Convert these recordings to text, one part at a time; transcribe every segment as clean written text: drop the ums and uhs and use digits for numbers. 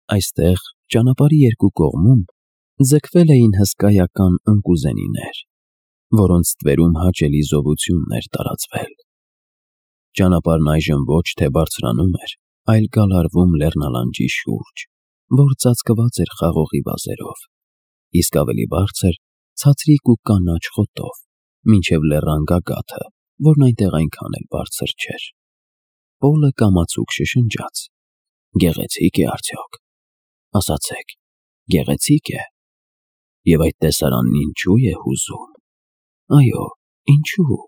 Այստեղ ճանապարհի երկու կողմում ձգվել էին հսկայական ընկուզենիներ, որոնց ստվերում հաճելի զովություն էր տարածվել։ Ճանապարհն այժմ ոչ թե բարձրանում էր, այլ գալարվում լեռնալանջի շուրջ, որ ծածկված էր խաղողի վազերով, իսկ ավելի բարձր ցածրիկ ու կանաչ խոտով, մինչև լեռան գագաթը, որն այնտեղ այնքան էլ բարձր չէր։ Պոլը կամացուկ շշնջաց. «Գեղեցիկ է արդյոք, ասացեք, գեղեցիկ է, և այդ տեսարանն ինչու է հուզում, այո, ինչու,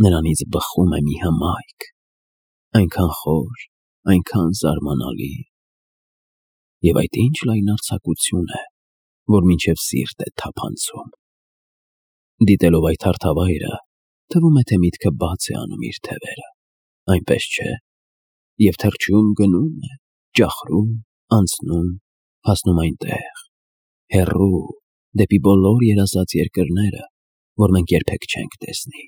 նրանից բխում է մի հմայք, այնքան խոր, այնքան զարմանալի, և այդ ինչ լայնարձակություն է, որ մինչև սիրտ է թափանցում։ Դիտելով այդ հարթավայրը, թվում է, թե միտքը բաց է անում իր թևերը, այնպես չէ, և թռչում գնում է, ճախրում, անցնում, հասնում այնտեղ, հեռու, դեպի բոլոր երազած երկրները, որ մենք երբեք չենք տեսնի։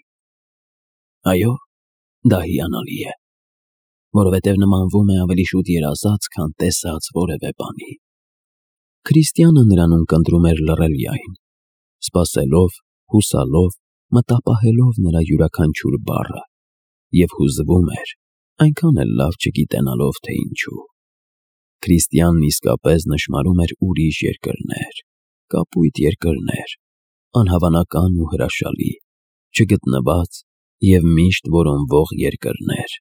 Այո, դա հիանալի է, որովհետև նմանվում է ավելի շուտ երազած, քան տեսած որևէ բանի»։ Քրիստիանը նրան ունկնդրում էր լռելյայն, սպասելով, հուսալով, մտապահելով նրա յուրաքանչյուր բառը, և հուզվում էր, այնքան էլ լավ չգիտենալով, թե ինչու։ Քրիստիանն իսկապես նշմարում էր ուրիշ երկրներ, կապույտ երկրներ, անհավանական ու հրաշալի, չգտնված և միշտ որոնվող երկրներ,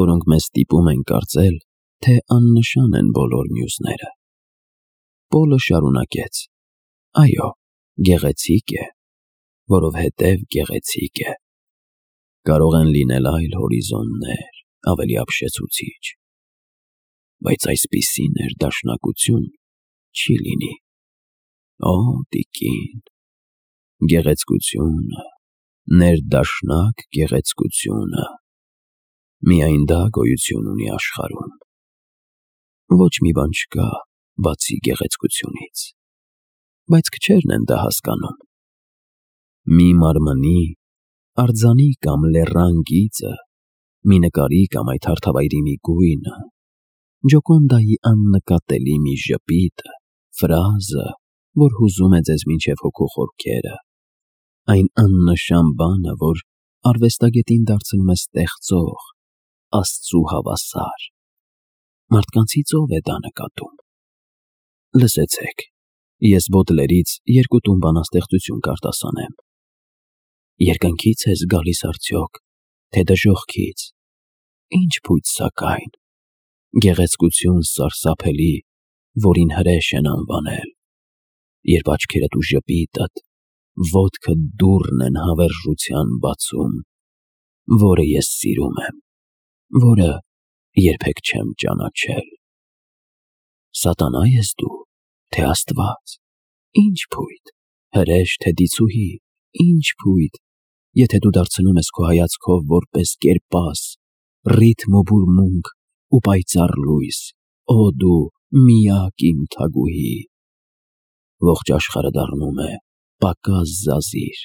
որոնք մեզ ստիպում են կարծել, թե աննշան են բոլոր մյուսները։ Պոլը շարունակեց. «Այո, գեղեցիկ է, որովհետև գեղեցիկ է։ Կարող են լինել այլ հորիզոններ, ավելի ապշեցուցիչ, բայց այսպիսի ներդաշնակություն չի լինի։ Օ, տիկին, գեղեցկությունը, ներդաշնակ գեղեցկությունը, միայն դա գոյություն ունի աշխարհում։ Ոչ մի բան չկա, բացի գեղեցկությունից, բայց քչերն են դա հասկանում։ Մի մարմնի, արձանի կամ լեռան գիծը, մի նկարի կամ այդ հարթավայրի մի գույնը, Ջոկոնդայի աննկատելի մի ժպիտը, ֆրազը, որ հուզում է ձեզ մինչև հոգու խորքերը, այն աննշան բանը, որ արվեստագետին դարձնում է ստեղծող, Աստծու հավասար, մարդկանցից ով է դա նկատում։ Լսեցեք, ես Բոդլերից երկու տուն բանաստեղծություն կարտասանեմ։ Երկնքի՞ց ես գալիս արդյոք, թե դժոխքից, ինչ փույթ սակայն, գեղեցկություն սարսափելի, որին հրեշ են անվանել, երբ աչքերդ ու ժպիտդ, ոտքդ դուռն են հավերժության բացում, որը ես սիրում եմ, որը երբեք չեմ ճանաչել։ Սատանա՞ ես դու, թե Աստված, ինչ փույթ, հրեշ, թե դիցուհի, ինչ փույթ, եթե դու դարձնում ես քո հայացքով որպես կերպաս, ռիթմ ու բուրմունք ու պայծառ լույս, օ դու միակ իմ թագուհի, ողջ աշխարհը դառնում է պակաս զազիր,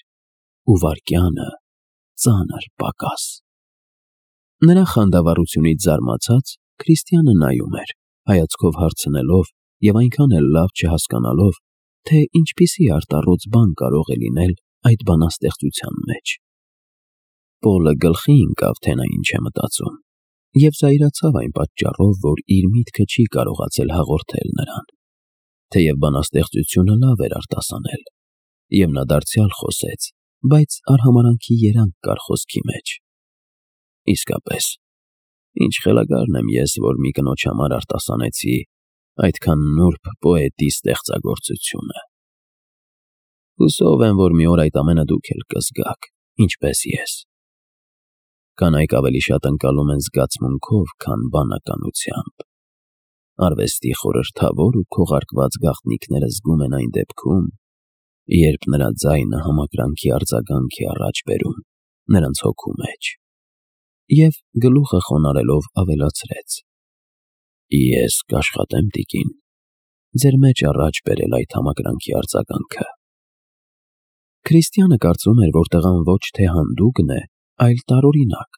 ու վայրկյանը ծանր պակաս։ Նրա խանդավառությունից զարմացած, Քրիստիանը նայում էր, հայացքով հարցնելով և այնքան էլ լավ չհասկանալով, թե ինչպիսի արտառոց բան կարող է լինել այդ բանաստեղծության մեջ։ Պոլը գլխի ընկավ, թե նա ինչ է մտածում, և զայրացավ այն պատճառով, որ իր միտքը չի կարողացել հաղորդել նրան, թեև բանաստեղծությունը լավ էր արտասանել, և նա դարձյալ խոսեց, բայց արհամարհանքի երանգ կար խոսքի մեջ։ Իսկապես, ինչ խելագարն եմ ես, որ մի կնոջ համար արտասանեցի այդքան նուրբ պոետի ստեղծագործությունը։ Հուսով եմ, որ մի օր այդ ամենը դուք էլ կզգաք, ինչպես ես։ Կանայք ավելի շատ ընկալում են զգացմունքով, քան բանականությամբ։ Արվեստի խորհրդավոր ու քողարկված գաղտնիքները զգում են այն դեպքում, երբ նրա ձայնը համակրանքի արձագանք է առաջ բերում նրանց հոգու մեջ։ Եվ գլուխը խոնարհելով ավելացրեց. Ես կաշխատեմ, տիկին, ձեր մեջ առաջ բերել այդ համակրանքի արձագանքը։ Քրիստիանը կարծում էր, որ տղան ոչ թե հանդուգն է, այլ տարօրինակ,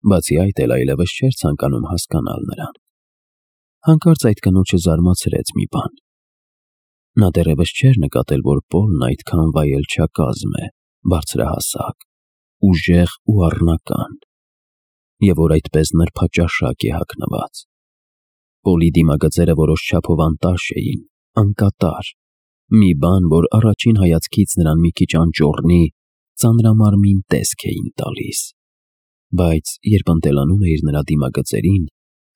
բացի այդ էլ այլևս չէր ցանկանում հասկանալ նրան։ Հանկարծ այդ կնոջը զարմացրեց մի բան։ Նա դեռևս չէր նկատել, որ Պոլն այդքան վայելչակազմ է, բարձրահասակ, ուժեղ ու առնական, և որ այդպես նրբաճաշակ է հագնված։ Պոլի դիմագծերը որոշ չափով անտաշ էին, անկատար, մի բան, որ առաջին հայացքից նրան մի քիչ անճոռնի, ծանրամարմին տեսք էին տալիս, բայց երբ ընտելանում էիր նրա դիմագծերին,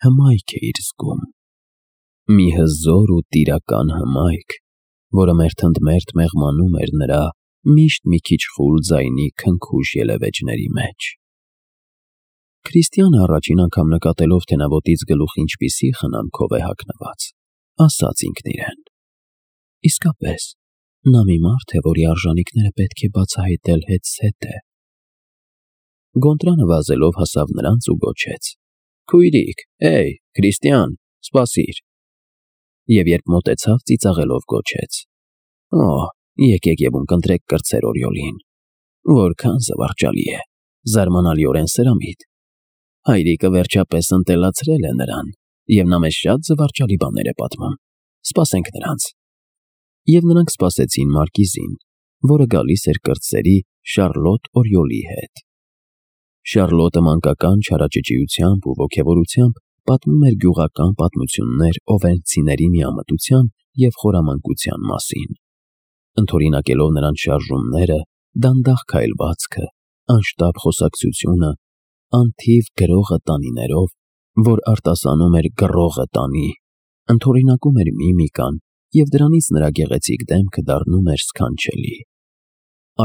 հմայք էիր զգում։ Մի հզոր ու տիրական հմայք, որը մերթընդմերթ մեղմանում էր նրա միշտ մի քիչ խուլ ձայնի քնքուշ ելևէջների մեջ։ Քրիստիանը առաջին անգամ նկատելով, թե նա ոտից գլուխ ինչպիսի խնամքով է հագնված, ասաց ինքն իրեն. իսկապես, նա մի մարդ է, որի արժանիքները պետք է բացահայտել հետզհետե։ Գոնտրանը վազելով հասավ նրանց ու գոչեց. «Քույրիկ, Քրիստիան, սպասիր»։ Եվ երբ մոտեցավ, ծիծաղելով գոչեց. «Օ, եկեք և ունկնդրեք կրտսեր Օրիոլին, որքան զվարճալի է, զարմանալիորեն սրամիտ։ Հայրիկը վերջապես ընտելացրել է նրան, և նա մեզ շատ զվարճալի բաներ է պատմում։ Սպասենք նրանց»։ Եվ նրանք սպասեցին մարկիզին, որը գալիս էր կրտսերի Շարլոտ Օրիոլի հետ։ Շարլոտը մանկական չարաճճիությամբ ու ոգևորությամբ պատմում էր գյուղական պատմություններ օվերնցիների միամտության և խորամանկության մասին, ընդօրինակելով նրանց շարժումները, դանդաղ քայլվածքը, անշտապ խոսակցությունը, անթիվ գրողը տանիներով, որ արտասանում էր գրողը տանի, ընդօրինակում էր միմիկան, և դրանից նրա գեղեցիկ դեմքը դառնում էր սքանչելի։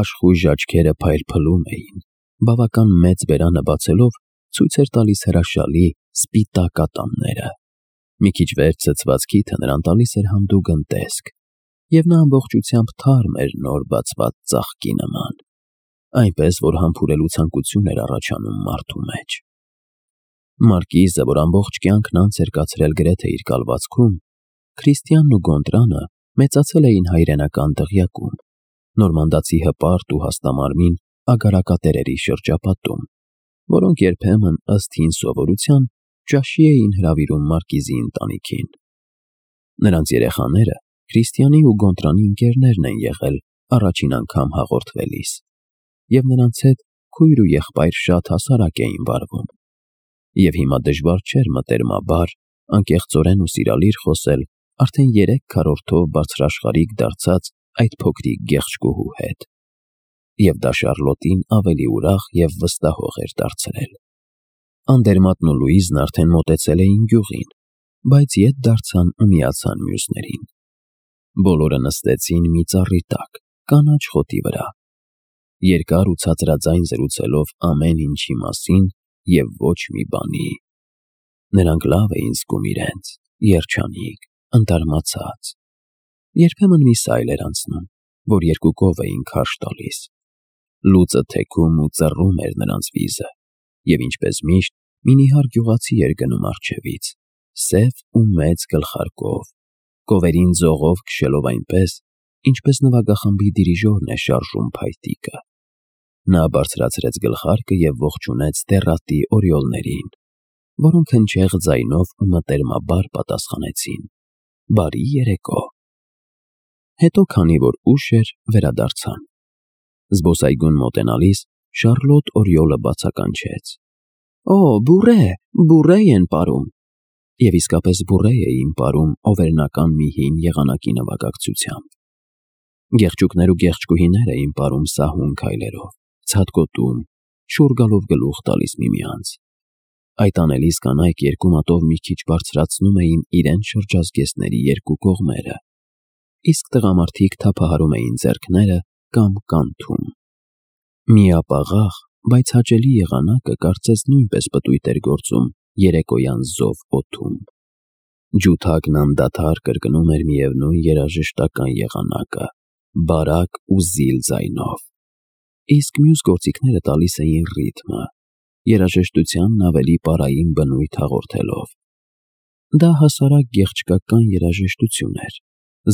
Աշխույժ աչքերը փայլփլում էին, բավական մեծ բերանը բացելով ցույց էր տալիս հրաշալի սպիտակ ատամները։ Մի քիչ վեր ցցված քիթը նրան տալիս էր հանդուգն տեսք, և նա ամբողջությամբ թարմ էր նոր բացված ծաղկի նման, այնպես, որ համբուրելու ցանկություն էր առաջանում մարդու մեջ։ Մարկիզը, որ ամբողջ կյանքն անց էր կացրել գրեթե իր կալվածքում, Քրիստիանն ու Գոնտրանը մեծացել էին հայրենական դղյակում, նորմանդացի հպարտ ու հաստամարմին ագարակատերերի շրջապատում, որոնք երբեմն ըստ հին սովորության ճաշի էին հրավիրում մարկիզի ընտանիքին։ Նրանց երեխաները Քրիստիանի ու Գոնտրանի ընկերներն են եղել առաջին անգամ հաղորդվելիս, և նրանց հետ քույր ու եղբայր շատ հասարակ էին վարվում, և հիմա դժվար չէր մտերմաբար, անկեղծորեն ու սիրալիր խոսել արդեն 3 քառորդով բարձրաշխարհիկ դարձած այդ փոքրիկ գեղջկուհու հետ, և դա Շարլոտին ավելի ուրախ և վստահող էր դարձրել։ Անդերմատն ու Լուիզն արդեն մոտեցել էին գյուղին, բայց ետ դարձան ու միացան մյուսներին։ Բոլորը նստեցին մի ծառի տակ, կանաչ խոտի վրա, երկար ու ցածրաձայն զրուցելով ամեն ինչի մասին և ոչ մի բանի։ Նրանք լավ էին զգում իրենց, երջանիկ, ընդարմացած։ Երբեմն մի սայլ էր անցնում, որ երկուկով էին քարշ տալիս։ Լուծը թեքում ու ծռում էր նրանց վիզը, և ինչպես միշտ մի նիհար գյուղացի էր գնում առջևից, սև ու մեծ գլխարկով, կովերին ձողով քշելով այնպես, ինչպես նվագախմբի դիրիժորն է շարժում փայտիկը։ Նա բարձրացրեց գլխարկը և ողջունեց դեռատի օրիոլներին, որոնք հնչեղ ձայնով ու մտերմաբար պատասխանեցին. «Բարի երեկո»։ Հետո, քանի որ ուշ էր, վերադարձան։ Զբոսայգուն մոտենալիս Շարլոտ Օրիոլը բացականչեց. «Օ, բուրե են պարում»։ Եվ իսկապես բուրե էին պարում օվերնական մի հին եղանակի նվագակցությամբ։ Գեղջուկներ ու գեղջկուհիներ էին պարում սահուն քայլերով, ցատկոտում, շուռ գալով գլուխ տալիս միմյանց։ Այդ անելիս կանայք երկու մատով մի քիչ բարձրացնում էին իրենց շրջազգեստների երկու կողմերը, իսկ տղամարդիկ թափահարում էին ձեռքները կամ կանթում։ Միապաղաղ, բայց հաճելի եղանակը կարծես նույնպես պտույտ էր գործում երեկոյան զով օդում։ Ջութակն անդադար կրկնում էր միևնույն երաժշտական եղանակը, բարակ ու զիլ ձայնով, իսկ մյուս գործիքները տալիս էին ռիթմը, երաժշտությանն ավելի պարային բնույթ հաղորդելով։ Դա հասարակ գեղչկական երաժշտություն էր,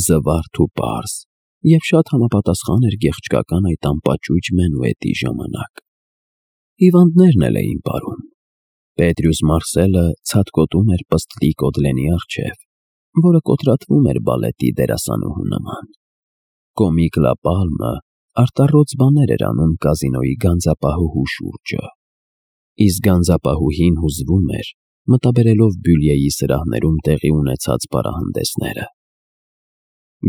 զվարթ ու պարզ, և շատ համապատասխան էր գեղչկական այդ անպաճույճ մենուետի ժամանակ։ Հիվանդներն էլ էին պարում, Պետրյուս Մարսելը ցատկոտում էր պստլիկ Օդլենի առջև, որը կոտրատվում էր բալետի դերասանուհու նման։ Կոմիկ Լապալմը արտառոց բաներ էր անում կազինոյի գանձապահուհու շուրջը, իսկ գանձապահուհին հուզվում էր, մտաբերելով Բյուլյեի սրահներում տեղի ունեցած պարահանդեսները։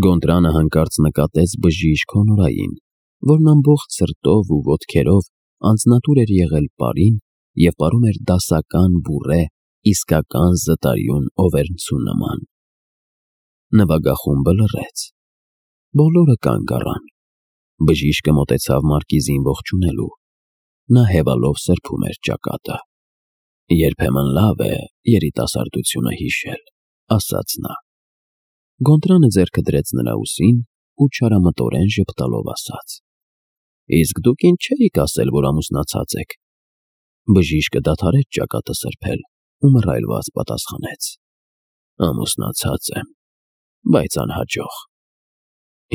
Գոնտրանը հանկարծ նկատեց բժիշկ Հոնորային, որն ամբողջ սրտով ու ոտքերով անձնատուր էր եղել պարին և պարում էր դասական բուրե իսկական զտարյուն Օվերնցու նման։ Նվագախումբը լռեց։ Բոլորը կանգ առան։ Բժիշկը մոտեցավ մարկիզին ողջունելու։ Նա հևալով սրբում էր ճակատը։ Երբեմն լավ է երիտասարդությունը հիշել, ասաց նա։ Գոնտրանը ձեռքը դրեց նրա ուսին ու չարամտորեն ժպտալով ասաց. Իսկ դուք ինչ չէիք ասել, որ ամուսնացած եք։ Բժիշկը դադարեց ճակատը սրբել ու մռայլված պատասխանեց. Ամուսնացած եմ, բայց անհաջող։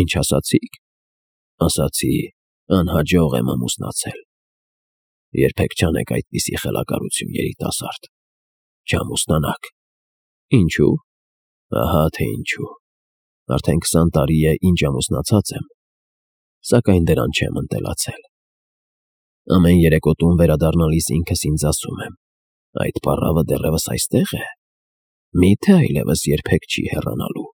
Ինչ ասացիք։ Ասացի, անհաջող եմ ամուսնացել։ Երբեք չանեք այդպիսի խելագարություն, երիտասարդ։ Չամուսնանաք։ Ինչու։ Ահա թե ինչու։ Արդեն 20 տարի է, ինչ ամուսնացած եմ, սակայն դրան չեմ ընտելացել։ Ամեն երեկոտուն վերադառնալիս ինքս ինձ ասում եմ. այդ պառավը դեռևս այստեղ է։ Միթե այլևս երբեք չի հեռանալու։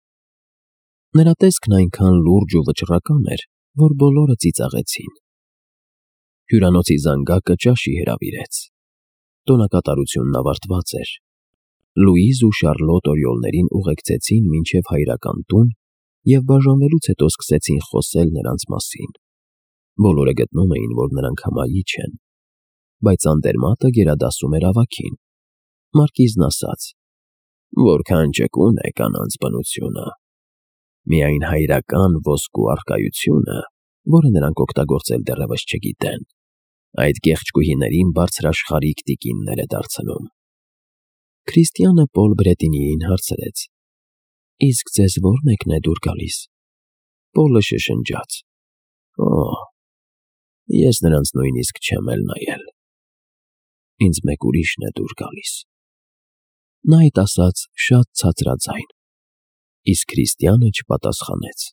Նրա տեսքն այնքան լուրջ ու վճռական էր, որ բոլորը ծիծաղեցին։ Հյուրանոցի զանգակը ճաշի հրավիրեց։ Տոնակատարությունն ավարտված էր։ Լուիզ ու Շարլոտ օրիոլներին ուղեկցեցին մինչև հայրական տուն և բաժանվելուց հետո սկսեցին խոսել նրանց մասին։ Բոլորը գտնում էին, որ նրանք հմայիչ են, բայց Անդերմատը գերադասում էր ավագին։ Մարկիզն ասաց. որքան ճկուն է կանանց բնությունը։ Միայն հայրական ոսկու առկայությունը, որը նրանք օգտագործել դեռևս չգիտեն, այդ գեղեցկուհիներին բարձրաշխարհիկ տիկիններ է դարձնում։ Քրիստիանը Պոլ Բրետինիին հարցրեց. իսկ ձեզ ո՞ր մեկն է դուր գալիս։ Պոլը շշնջաց. Օ, ես նրանց նույնիսկ չեմ էլ նայել։ Ինձ մեկ ուրիշն է դուր գալիս։ Նա այդ ասաց շատ ցածրաձայն, իսկ Քրիստիանը չպատասխանեց։